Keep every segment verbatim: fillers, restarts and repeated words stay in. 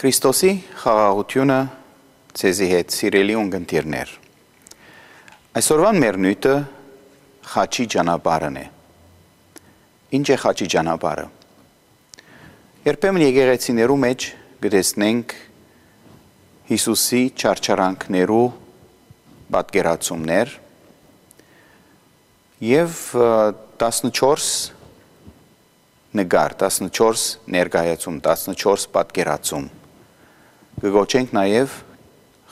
Քրիստոսի խաղաղությունը ցեզի հետ սիրելի ունգընտիրներ։ Այսօրվան մեր նույթը խաչի ճանապարհն է։ Ինչ է խաչի ճանապարհը։ Երբեմն եկեղեցիներու մեջ գտեսնենք Հիսուսի չարչարանքներու պատկերացումներ եւ տասնչորս նկար, տասնչորս ներկայացում, տասնչորս պատկերացում։ Գոչենք նաև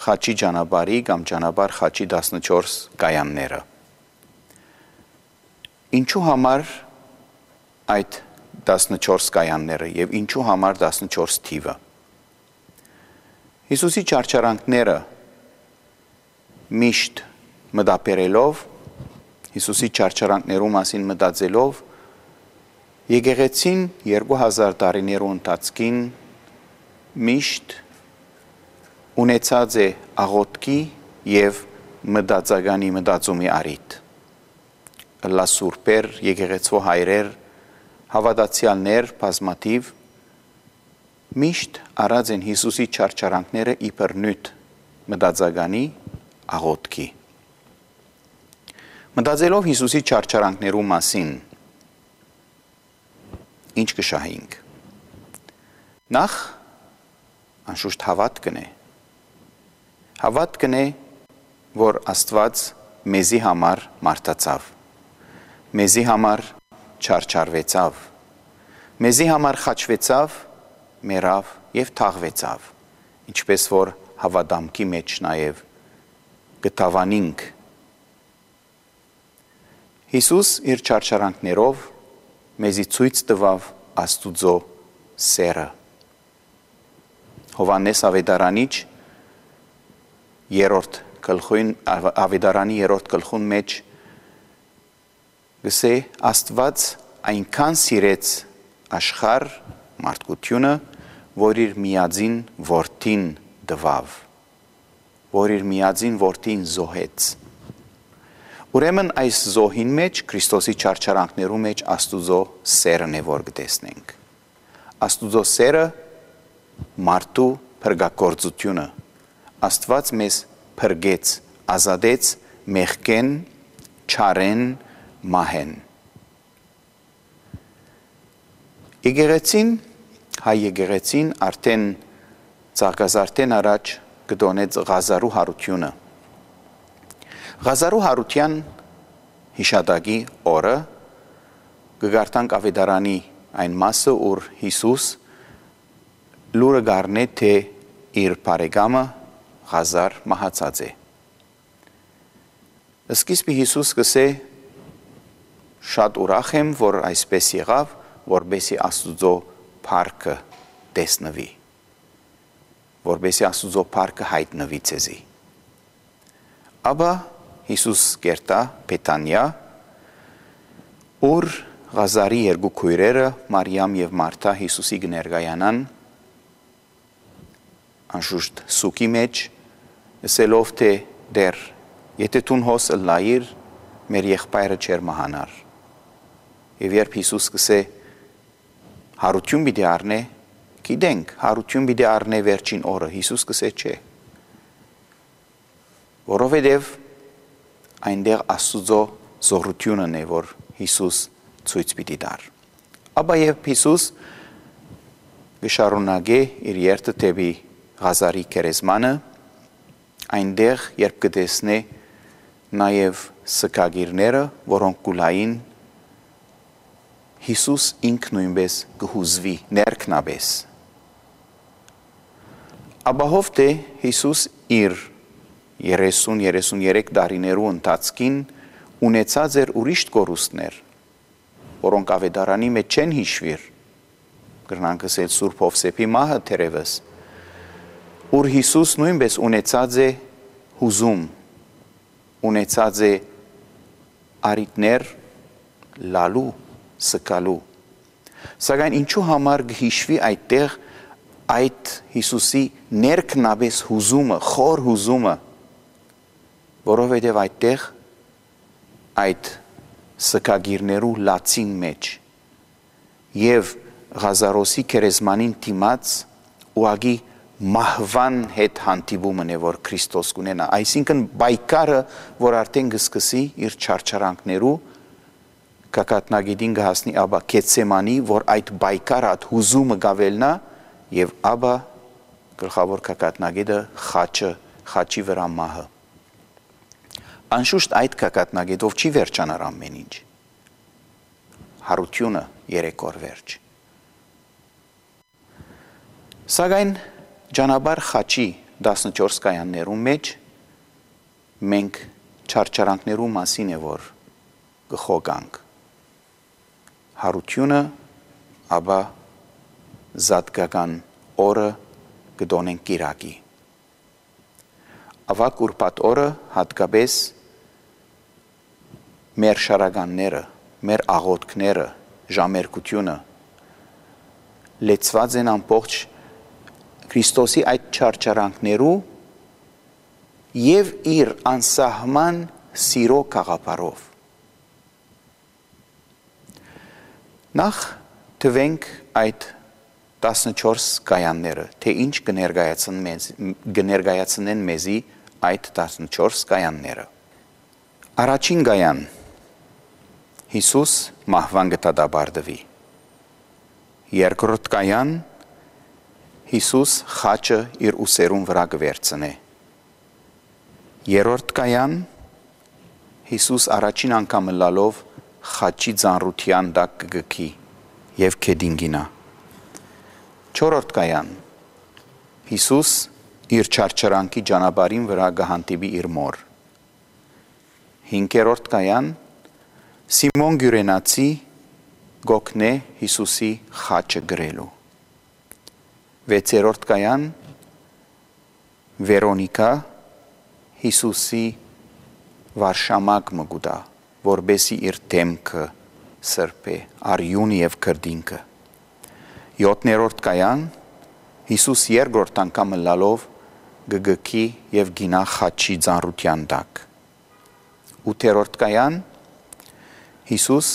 խաչի ճանապարհի կամ ճանապարհ խաչի տասնչորս կայանները։ Ինչու համար այդ տասնչորս կայանները եւ ինչու համար տասնչորս թիվը։ Հիսուսի չարչարանքները միշտ մտապերելով, Հիսուսի չարչարանքներու մասին մտածելով, եկեղեցին երկու հազար տարիներու ընթացքին միշտ ունեցած է աղոթքի եւ մտածականի մտածումի առիթ։ Լա սուրբեր, եկեղեցու հայրեր, հավատացյալներ, բազմաթիվ միշտ արած են Հիսուսի չարչարանքները իբր նույթ մտածականի աղոթքի։ Մտածելով Հիսուսի չարչարանքներու մասին ինչ կշահենք։ Նախ անշուշտ հավատքն է։ Հավատքն է, որ Աստված մեզի համար մարդացավ, մեզի համար չարչարվեցավ, մեզի համար խաչվեցավ, մեռավ եւ թաղվեցավ, ինչպես որ հավատամքի մեջ նաեւ գտավանինք։ Հիսուս իր չարչարանքներով մեզի ցույց տվավ Աստուծո սերը։ Հովհաննես Ավետարանիչ երրորդ գլխին Ավետարանի երրորդ գլխուն մեջ գսե Աստված այնքան սիրեց աշխարհ մարդկությունը, որ իր միածին որդին տվավ, որ իր միածին որդին զոհեց։ Ուրեմն այս զոհին մեջ Քրիստոսի չարչարանքներու մեջ Աստուծո սերն է որ գտեսնենք։ Աստուծո սերը մարդու փրկագործությունը։ Աստված մեզ փրկեց, ազատեց մեղքեն, չարեն, մահեն։ Եկեղեցին, հայ եկեղեցին արդեն ցաղկազարդեն առաջ գտոնեց Ղազարու հարությունը։ Ղազարու հարության հիշատակի օրը գգարտանք Ավետարանի այն մասը, ուր Հիսուս լուրը գառնե թե իր բարեկամը Ղազար մահացած է։ Սկիզբի Հիսուս կսե շատ ուրախ եմ, որ այսպես եղավ, որբեսի Աստուծո փառքը տեսնվի, որբեսի Աստուծո փառքը հայտնվի ցեզի։ Աբա Հիսուս կերտա Բեթանիա, ուր Ղազարի երկու քույրերը Մարիամ եւ Մարթա Հիսուսի կներկայանան անշուշտ սուկի մեջ, ասելով թե դեր, եթե տուն հոս լայիր, մեր եղբայրը չեր մահանար։ Եվ երբ Հիսուս կսե հարություն պիտի առնե, գիտենք, հարություն պիտի առնե վերջին օրը, Հիսուս կսե չէ։ Որովհետև այնտեղ Աստուծո զորությունն է, որ Հիսուս ցույց պիտի տար։ Աբա երբ Հիսուս գշարունակե իր երթը դեպի Ղազարի քերեզմանը, այնտեղ երբ կտեսնե նաև սկագիրները, որոնք կուլային, Հիսուս ինքն նույնպես կհուզվի, ներքնաբես։ Աբահով թե Հիսուս իր երեսուն երեսուներեք տարիներու ընթացքին ունեցած էր ուրիշ կորուստներ, որոնք Ավետարանի մեջ չեն հիշվիր, կրնանք ասել Սուրբ Հովսեփի մահը թերևս, ուր Հիսուս նույնպես ունեցած է հուզում, ունեցած է արիտներ լալու, սկալու։ Սակայն ինչու համար գհիշվի այդտեղ այդ Հիսուսի ներքնաբես հուզումը, խոր հուզումը, որովհետև այդտեղ այդ սկագիրներու լացին մեջ եւ Ղազարոսի քերեզմանին դիմաց ուղղակի մահվան հետ հանդիպումն է, որ Քրիստոս կունենա, այսինքն բայկարը, որ արդեն կսկսի իր չարչարանքներու կակատնագետին կհասնի աբա Գեթսեմանի, որ այդ բայկարը այդ հուզումը գավելնա եւ աբա գլխավոր կակատնագետը խաչը, խաչի վրա մահը։ Անշուշտ այդ կակատնագետով չի վերջանար ամեն ինչ։ Հարությունը երեք օր վերջ։ Սակայն Ջանաբար խաչի տասնչորս կայաններում մեջ մենք չարչարանքներու մասին է, որ կխոգանք։ Հարությունը, աբա զատկական օրը կդոնենք կիրակի։ Ավակ ուրբաթ օրը հատկապես մեր շարականները, մեր աղոթքները, ժամերկությունը լեցված են ամբողջ Քրիստոսի այդ չարչարանքներու եւ իր անսահման սիրո կաղապարով։ Նախ թվենք այդ տասնչորս կայանները, թե ինչ կներկայացնեն մեզի այդ տասնչորս կայանները։ Առաջին կայան Հիսուս մահվան կդատաբարդվի։ Երկրորդ կայան Հիսուս խաչը իր ուսերուն վրա կվերցնե։ Երրորդ կայան Հիսուս առաջին անգամ լալով խաչի ծանրության տակ կգքի եւ քեդինգինա։ Չորրորդ կայան Հիսուս իր չարչարանքի ճանապարհին վրա կհանդիպի իր մոր։ Հինգերորդ կայան Սիմոն Գյուրենացի գոքնե Հիսուսի խաչը գրելու։ Վեցերորդ կայան Վերոնիկա Հիսուսի վարշամակ մգուտա, որբեսի իր դեմքը սրբե, արյուն եւ քրդինքը։ Յոթներորդ կայան Հիսուս երկրորդ անգամ լալով գգքի եւ գինա խաչի ծանրության տակ։ Ութերորդ կայան Հիսուս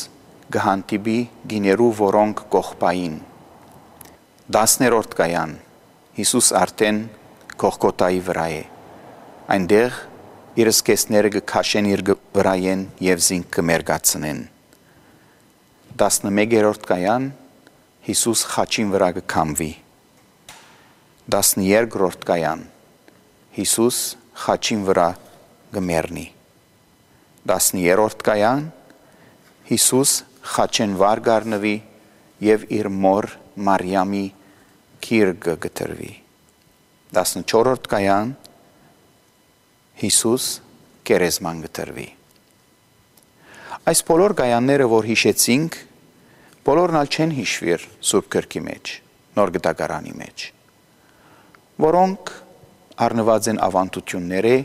գհանդիպի գիներու, որոնք կողպային։ Դասներորդ կայան Հիսուս արդեն Գողգոթայի վրա է։ Այնտեղ իր սկեսները կքաշեն իր վրայեն եւ զինք կմերգացնեն։ Տասնմեկերորդ կայան Հիսուս խաչին վրա կքամվի։ Տասներկրորդ կայան Հիսուս խաչին վրա կմեռնի։ Տասներորդ կայան Հիսուս խաչեն վար գառնվի եւ իր մոր Մարիամի քիրգը գտրվի։ Տասնչորրորդ կայան Հիսուս կերեզման գտրվի։ Այս բոլոր կայանները, որ հիշեցինք, բոլորն ալ չեն հիշվիր Սուրբ Գրքի մեջ, Նոր Գտակարանի մեջ, որոնք առնված են ավանդությունները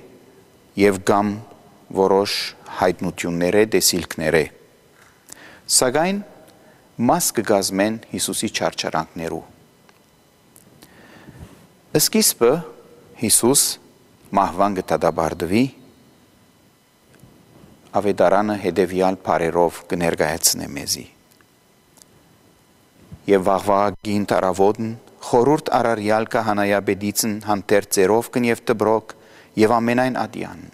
եւ կամ որոշ հայտնությունները, տեսիլքները։ Սակայն մաս կգազմեն Հիսուսի չարչարանքներու։ Սկիզբը Հիսուս մահվան կդատաբարդվի, ավետարանը հետևյալ բառերով կներկայացնե մեզի։ Եվ վաղվաղագին տարավոտն խորուրդ արարյալ կահանայապետիցն հանդերձերով կնև տբրոք եւ ամենայն ադյան։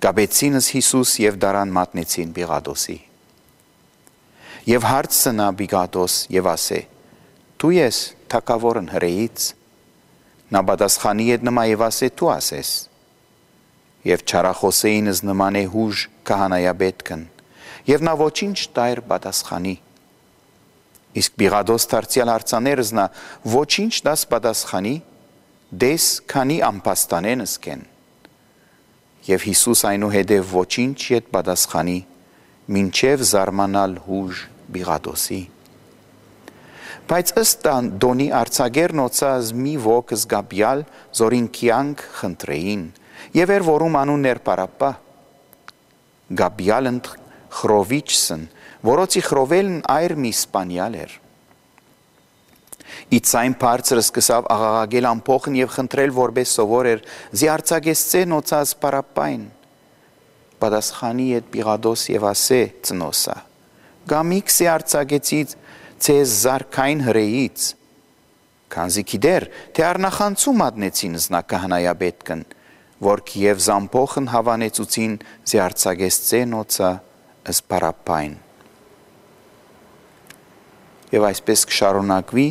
Գաբեցինս Հիսուս եւ դարան մատնեցին Պիղատոսի։ Եվ հարցնա Պիղատոս եւ ասե. Դու ես թագավորն հրեից։ Նա պատասխանի հետ նմա եւ ասե. Դու ասես։ Եվ չարախոսեինս նման է հուժ քահանայապետքն։ Եվ նա ոչինչ տայր պատասխանի։ Իսկ Պիղատոս դարձյալ հարցաներս նա ոչինչ դաս պատասխանի, դես քանի ամբաստանենս կեն։ Եվ Հիսուս այնուհետև ոչինչ ետ պատասխանի, մինչև զարմանալ հուժ Պիղատոսի։ Բայց ըստ դոնի արձագերն օծած մի ոք զգաբյալ զորին կյանք խնդրեին, եւ էր որում անուններ Պարապպա։ Գաբյալն խրովիչսն, որոցի խրովելն այր մի սպանյալ էր։ Իցայն բարձրը սկսավ աղաղագել ամփոխն եւ խնդրել, որպես սովոր էր, զի արձագեսցեն օծած Պարապպային։ Պատասխանի հետ Պիղատոս եւ ասե ծնոսա. Գամիքսի արձագեցից ցեզ զարքային հրեից։ քանզի գիտեր, թե առնախանցում մատնեցին զնակահանայաբետկն, որ Կիև զամփոխն հավանեցուցին զիարցագեսցե նոցա ըսպարապայն։ Եվ այսպես կշարունակվի,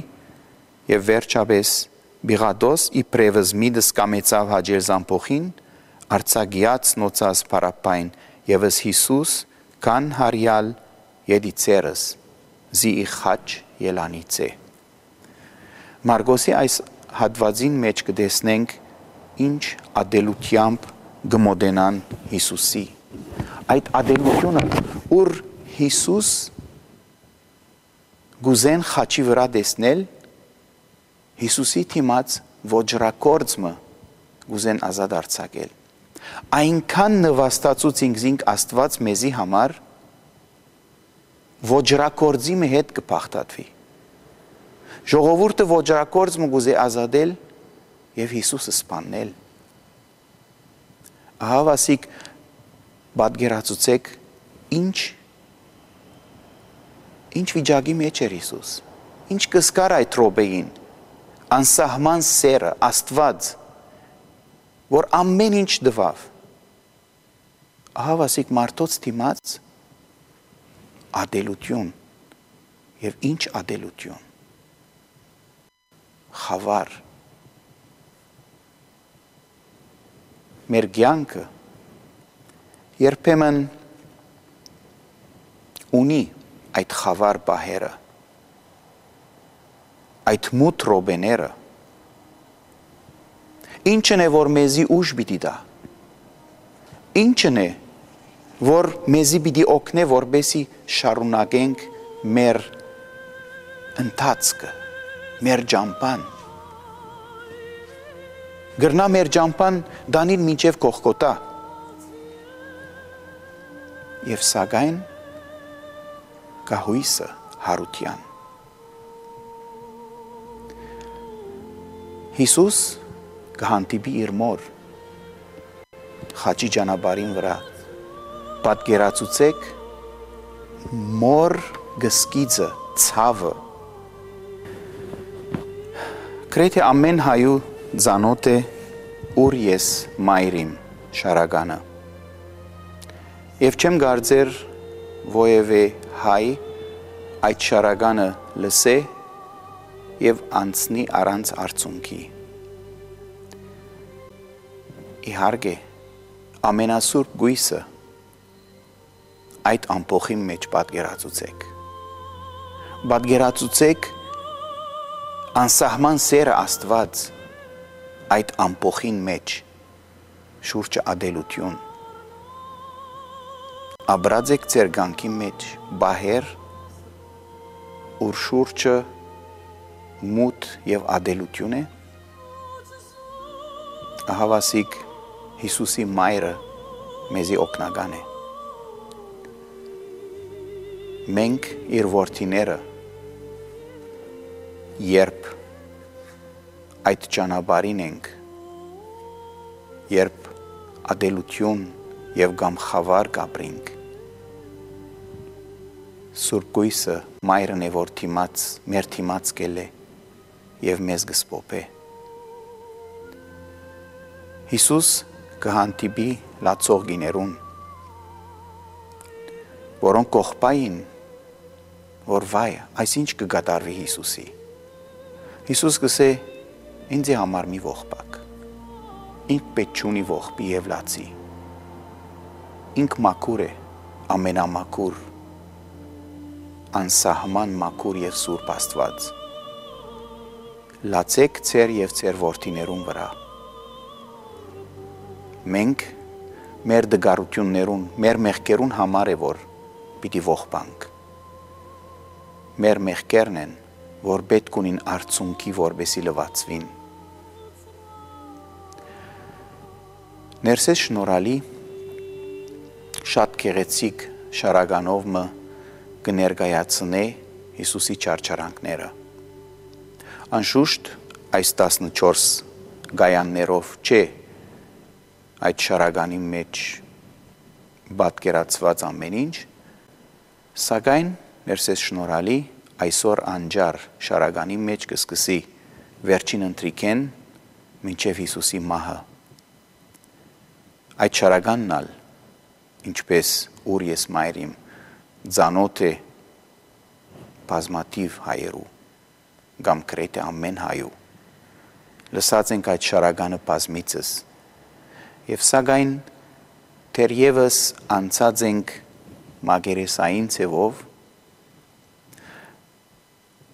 եւ վերջապես Բիղադոս իբրևս միդս կամեցավ հաջել զամփոխին, արցագիած նոցաս պարապայն, եվս Հիսուս կան հարյալ եդիցերս, զի իխաչ ելանիցե։ Մարգոսի այս հատվածին մեջ կտեսնենք ինչ ադելությամբ գմոդենան Հիսուսի։ Այդ ադելությունը, ուր Հիսուս գուզեն խաչի վրա տեսնել, Հիսուսի թիմած ոջրակորձմը գուզեն ազատ արձակել։ Այնքան նվաստացուց ինքզինք Աստված մեզի համար, ոջրակորձի մը հետ կփախտատվի։ Ժողովուրդը ոջրակորձ մը գուզե ազատել եւ Հիսուսը սպանել։ Ահա վասիկ պատկերացուցեք ինչ ինչ վիճակի մեջ էր Հիսուս։ Ինչ կսկար այդ րոպեին, անսահման սերը, Աստված, որ ամեն ինչ դվավ։ Ահա վասիկ մարդոց դիմաց ադելություն եւ ինչ ադելություն։ Խավար։ Մեր կյանքը երբեմն ունի այդ խավար բահերը, այդ մութ ռոբեները, ինչն է, որ մեզի ուժ պիտի տա, ինչն է, որ մեզի պիտի օգնե, որպեսզի շարունակենք մեր ընթացքը, մեր ճամփան, գրնա մեր ճամփան դանիլ մինչև Գողգոթա, եւ սակայն կահույսը հարության։ Հիսուս կհանդիպի իր մոր խաչի ճանապարհին վրա, պատկերացուցեք մոր գսկիծը, ցավը։ Գրեթե ամեն հայու ծանոթ է ուր ես մայրիմ շարականը։ Եվ չեմ կարծեր ովևէ հայ այդ շարականը լսե եւ անցնի առանց արցունքի։ Իհարկե, ամենասուրբ գույսը այդ ամփոխի մեջ պատկերացուցեք։ Պատկերացուցեք անսահման սերը Աստված այդ ամփոխին մեջ, շուրջը ադելություն։ Աբրած եք ձեր կյանքի մեջ բահեր, ուր շուրջը մութ եւ ադելություն է։ Ահա վասիկ Հիսուսի մայրը մեզի օգնական է։ Մենք իր որդիները երբ այդ ճանապարհին ենք, երբ ադելություն եւ կամ խավար կապրինք, Սուրբ Գույսը մայրն է, որ թիմած, մեր թիմած կել է եւ մեզ կսպոպե։ Հիսուս կհանդիպի լացողիներուն, որոնք կողպային, որ վայ, այսինչ կգատարվի Հիսուսի։ Հիսուս կսե, ինձի համար մի ողբակ, ինք պետք չունի ողբի եւ լացի, ինք մաքուր է, ամենամաքուր, անսահման մաքուր եւ սուրբ Աստված։ Լացեք ձեր եւ ձեր որդիներուն վրա։ Մենք մեր դգարություններուն, մեր մեղքերուն համար է, որ պիտի ողբանք։ Մեր մեղքերն են, որ պետք ունին արցունքի, որպեսի լվացվին։ Ներսես շնորհալի շատ գեղեցիկ շարականով մը կներկայացնե Հիսուսի չարչարանքները։ Անշուշտ այս տասնչորս գայաններով չէ այդ շարականի մեջ պատկերացված ամեն ինչ, սակայն ներսես շնորհալի այսօր անջար շարականի մեջ կսկսի վերջին ընտրիկեն մինչև Հիսուսի մահը։ Այդ շարականն ալ, ինչպես ուր ես մայրիմ, ձանոթ է բազմաթիվ հայերու, կամ գրեթե ամեն հայու, լսած ենք այդ շարականը բազմիցս, և սակայն թերևս անցած ենք մագերեսային ձևով,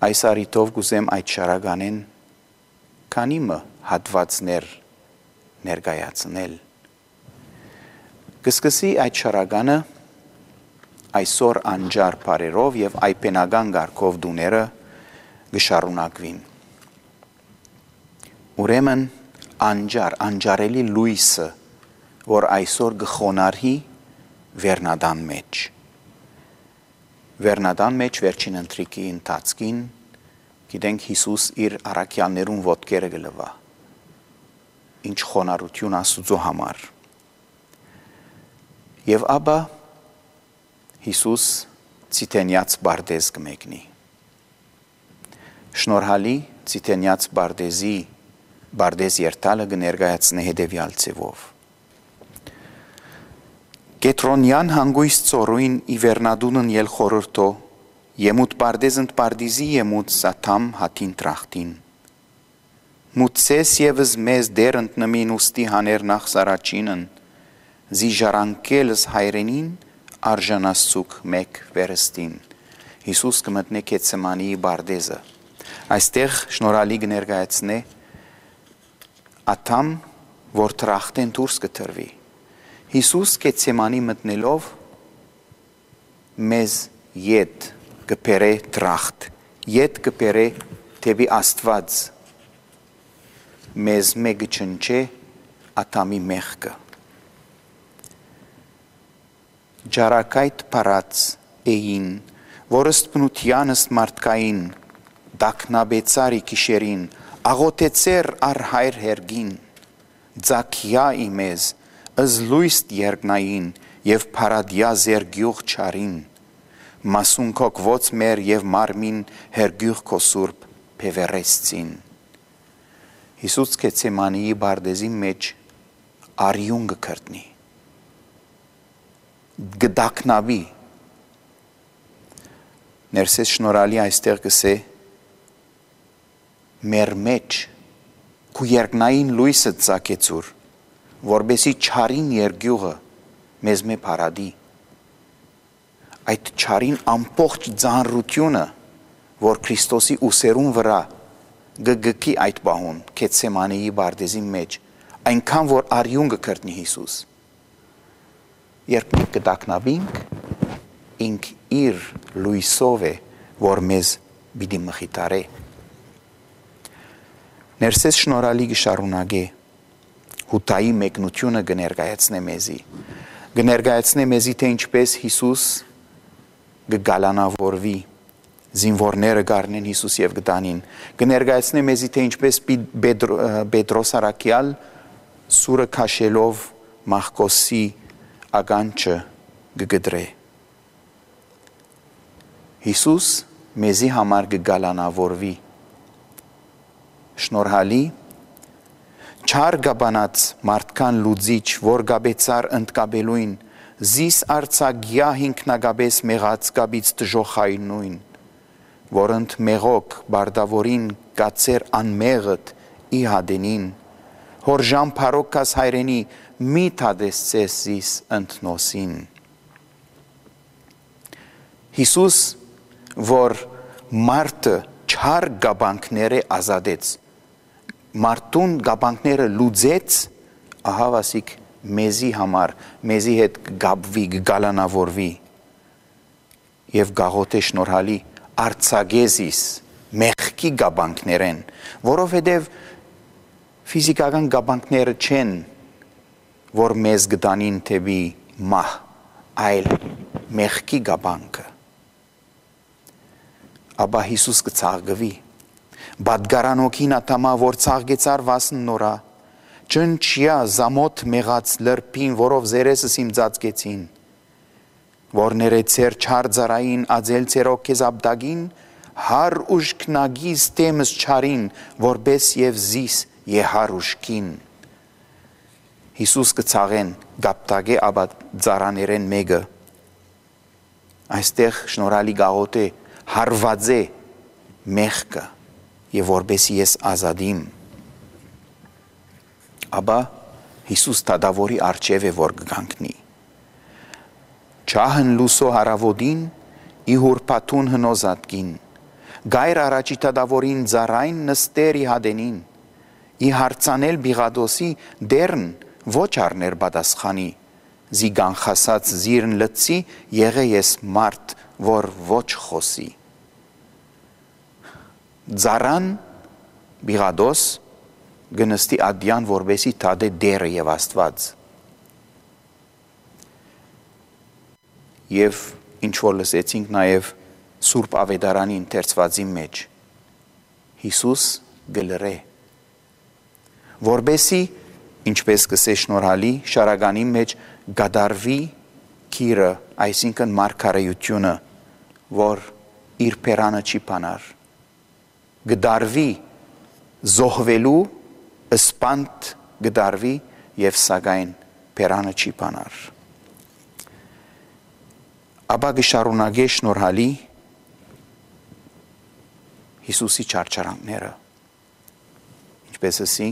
այս առիթով գուզեմ այդ շարականեն քանիմը հատվածներ ներկայացնել։ Կսկսի այդ շարականը այսօր անջար բարերով և այպենական գարքով դուները գշարունակվին։ Ուրեմն անջար, անջարելի լույսը, որ այսօր գխոնարհի վերնադան մեջ։ Վերնադան մեջ վերջին ընտրիկի ընթացքին գիտենք Հիսուս իր առաքյալներուն ոտքերը գլվա։ Ինչ խոնարհություն Աստուծո համար։ Եվ ապա Հիսուս ցիտենյաց բարդեզ կմեկնի։ Շնորհալի ցիտենյաց բարդեզի բարդեզ երթալը կներկայացնի հետևյալ ձևով։ Կետրոնյան հանգույց ծորույն ի վերնադունն ել խորհրդո, եմուտ բարդեզընդ բարդիզի եմուտ սաթամ հատին տրախտին։ Մուտսես եվս մեզ դեր ընտնմին ուստի հաներ նախ սարաչինն, զի ժարանքելս հայրենին արժանասցուկ մեկ վերստին։ Հիսուս կմտնե Գեթսեմանիի բարդեզը։ Այստեղ շնորհալի կներկայացնե աթամ, որ տրախտեն դուրս կտրվի։ Հիսուս Գեթսեմանի մտնելով մեզ ետ կբերե տրախտ, ետ կբերե դեպի Աստված, մեզ մեկը չնչե աթամի մեղքը։ Ջարակայտ պարած էին, որ ըստ բնությանս մարդկային, դակնաբեցարի կիշերին, աղոտեցեր առ հայր հերգին, ձակյա իմեզ, ըզլույստ երգնային և պարադյա զերգյուղ չարին, մասունքոք ոց մեր և մարմին հերգյուղ քո սուրբ պևերեսցին։ Հիսուս Գեթսեմանիի բարդեզի մեջ արյուն կքրտնի, գդակնաբի, ներսես շնորհալի այստեղ կսե մեր մեջ քու երգնային լույսը ծակեցուր, որբեսի չարին երգյուղը մեզ մե պարադի, այդ չարին ամբողջ ձանրությունը, որ Քրիստոսի ուսերուն վրա գգքի այդ բահուն Գեթսեմանիի բարդեզի մեջ, այնքան որ արյուն կքրտնի Հիսուս։ Երբ մենք կդակնաբինք, ինք իր լույսով է, որ մեզ պիտի մխիթարե։ Ներսես շնորհալի կշարունակե, հութայի մեկնությունը կներկայացնե մեզի։ Կներկայացնե մեզի, թե ինչպես Հիսուս կգալանավորվի, զինվորները կառնեն Հիսուս և կտանին։ Կներկայացնե մեզի, թե ինչպես Պետրոս առաքյալ սուրը քաշելով Մաղկոսի ականջը կգդրե։ Հիսուս մեզի համար կգալանավորվի։ Շնորհալի չար գաբանած մարդկան լուծիչ, որ գաբեցար ընդկաբելույն, զիս արցագյա հինքնագաբես մեղած գաբից տժոխային նույն, որ ընդ մեղոք բարդավորին կացեր անմեղըտ ի հադենին, հորժան պարոքաս հայրենի մի թադեսցես զիս ընդնոսին։ Հիսուս, որ մարդը չար գաբանքները ազատեց, մարդուն գաբանքները լուծեց, ահավասիկ մեզի համար, մեզի հետ գաբվի, գալանավորվի և գաղոտ է շնորհալի արցագեզիս մեղքի գաբանքներեն, որովհետև ֆիզիկական գաբանքները չեն, որ մեզ գտանին թեպի մահ, այլ մեղքի գաբանքը։ Աբա Հիսուս կցաղգվի, բադգարանոքին ատամա, որ ցաղգեցար վասն նորա, ճնչյա զամոտ մեղած լրպին, որով զերեսս իմ ծածկեցին, որ ներեցեր չար ձարային ածել ցերոք քեզ աբդագին, հար ուշքնագիզ տեմս չարին, որբես և զիս եհար ուշքին։ Հիսուս կցաղեն գապտագե աբա ձարաներեն մեգը, այստեղ շնորհալի գաղոտ է հարված է մեղքը և որբեսի ես ազադիմ։ Աբա Հիսուս տադավորի արջև է որ կգանքնի։ Չահն լուսո հարավոդին, ի հուրպատուն հնոզատկին, գայր առաջի տադավորին ձարայն նստեր ի հադենին, ի հարցանել բիղադոսի դերն ոչ արներ բադասխանի, զի գանխասած զիրն լծի եղե ես մարդ, որ ոչ խոսի։ Ձարան բիղադոս գնստի ադյան որբեսի տադե դերը և աստված։ Եվ ինչ որ լսեցինք նաև Սուրբ Ավետարանի ընթերցվածի մեջ, Հիսուս գլրե, որբեսի, ինչպես կսե շնորհալի շարագանի մեջ գադարվի քիրը, այսինքն մարգարեությունը, որ իր պերանը չի պանար, գդարվի զոհվելու, սպանդ գդարվի և սակայն պերանը չի պանար։ Աբա գշարունակե շնորհալի Հիսուսի չարչարանքները, ինչպես ասի,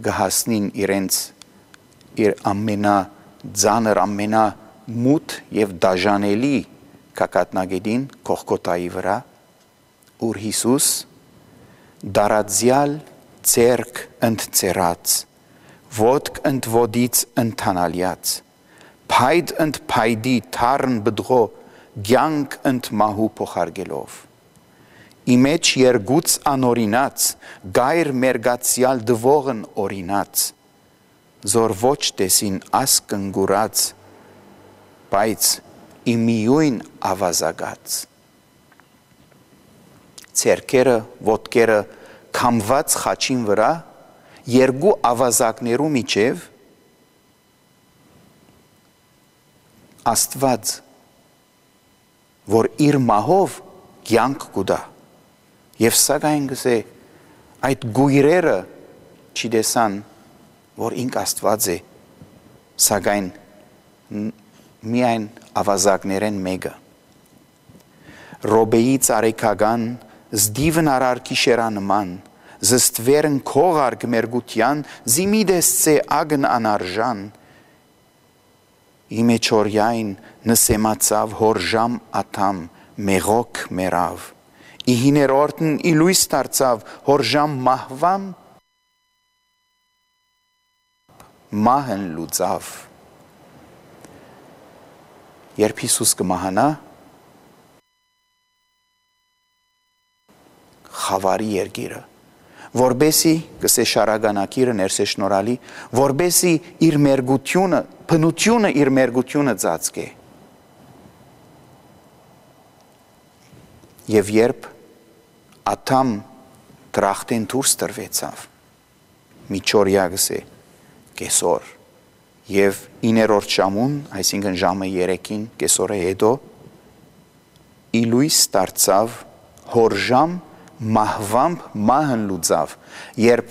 գհասնին իրենց իր ամենա ձանր, ամենա մութ և դաժանելի կակատնագետին Կողգոթայի վրա, ուր Հիսուս դարածյալ ձերք ընդձեռած, ոտք ընդվոդից ընդանալյաց, փայդ ընդ փայդի թարն բդղո գյանք ընդ մահու փոխարգելով, իմեջ երգուց անորինած, գայր մերգացյալ դվողն օրինած, զոր ոչ տեսին ասկնգուրած, բայց իմիույն ավազագած։ Ձերքերը, ոտքերը քամված խաչին վրա, երկու ավազակներու միջև Աստված, որ իր մահով կյանք կուտա, և սակայն գսե այդ գույրերը չտեսան, որ ինք Աստված է, սակայն միայն ավազակներեն մեկը։ Ռոբեի ծարեկական, զդիվն արար կիշերանման, զստվերն քողար գմերգության, զիմիդես ծե ագն անարժան, Իմեչորյայն նսեմացավ հորժամ ատամ մեղոք մերավ, ի հիներորդն ի լույս դարձավ հորժամ մահվամ մահն լուծավ։ Երբ Հիսուս կմահանա, խավարի երգիրը, որբեսի կսե շարագանակիրը ներսե շնորհալի, որբեսի իր մերգությունը, փնությունը իր մերգությունը ծածկե։ Եվ երբ աթամ դրախտեն դուրս տրվեցավ, միջորյա գսե կեսոր, և իներորդ ժամուն, այսինքն ժամը երեկին կեսորը հետո, ի լույս դարձավ հորժամ մահվամբ մահն լուծավ, երբ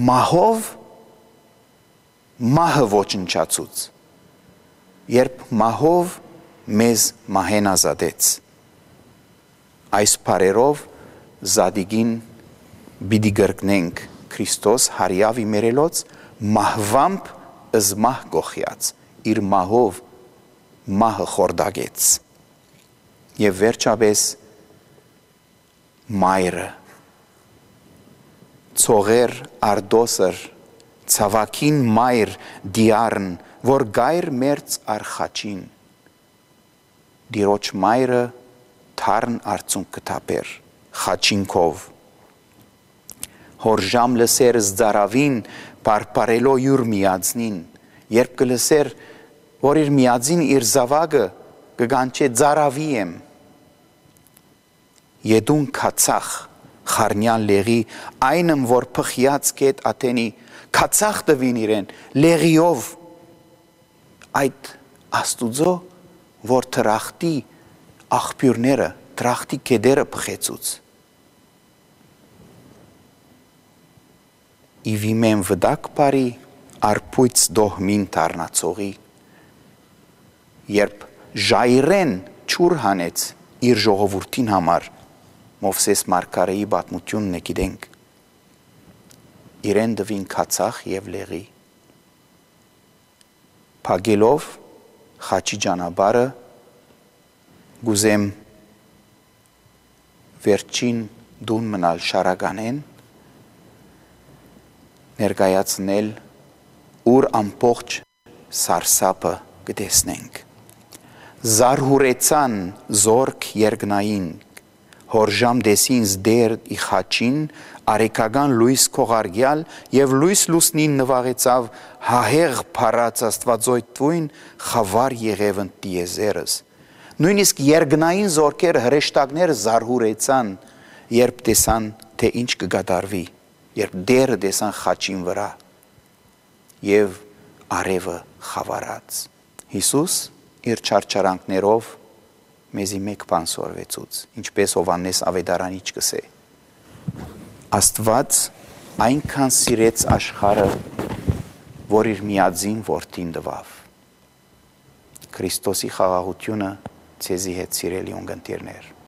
մահով մահը ոչնչացուց, երբ մահով մեզ մահեն ազատեց, այս պարերով զադիգին բիդի գրկնենք Քրիստոս հարյավի մերելոց մահվամբ ըզմահ գոխյաց, իր մահով մահը խորդագեց, և վերջապես մայրը, ծողեր արդոսր, ցավակին մայր դիարն, որ գայր մերց արխաչին, դիրոջ մայրը թարն արցունք կտապեր, խաչինքով, հորժամ լսեր զդարավին, պարպարելով յուր միածնին, երբ կլսեր, որ իր միածին իր զավագը կգանչե ձարավի եմ, Ետուն կացախ խարնյան լեղի, այնմ որ պխյաց կետ ատենի, կացախ տվին իրեն, լեղիով, այդ աստուծո, որ թրախտի աղբյուրները, դրախտի կեդերը պխեցուց։ Իվիմեն վդակ բարի արպույց դոհմին տարնացողի, երբ ժայրեն չուր հանեց իր ժողովուրդին համար, Մովսես Մարգարեի պատմությունն է գիտենք, իրեն դվին քացախ և լեղի, փագելով խաչի ճանապարհը գուզեմ վերջին դուն մնալ շարականեն, ներկայացնել, ուր ամբողջ սարսափը կտեսնենք։ Զարհուրեցան զորք երկնային, հորժամ դեսին զդեր ի խաչին, արեկական լույս քողարգյալ և լույս լուսնին նվաղեցավ հահեղ փառած Աստվածոյթույն խավար եղևն տիեզերս։ Նույնիսկ երկնային զորքերը հրեշտակները զարհուրեցան, երբ տեսան, թե ինչ կգադարվի, երբ դերը տեսան խաչին վրա և արևը խավարած։ Հիսուս իր չարչարանքներով մեզի մեկ բան սորվեցուց, ինչպես Հովհաննես Ավետարանիչ կսե։ Աստված այնքան սիրեց աշխարհը, որ իր միածին որդին տվավ։ Քրիստոսի խաղաղությունը ցեզի հետ սիրելի ունգընտիրներ։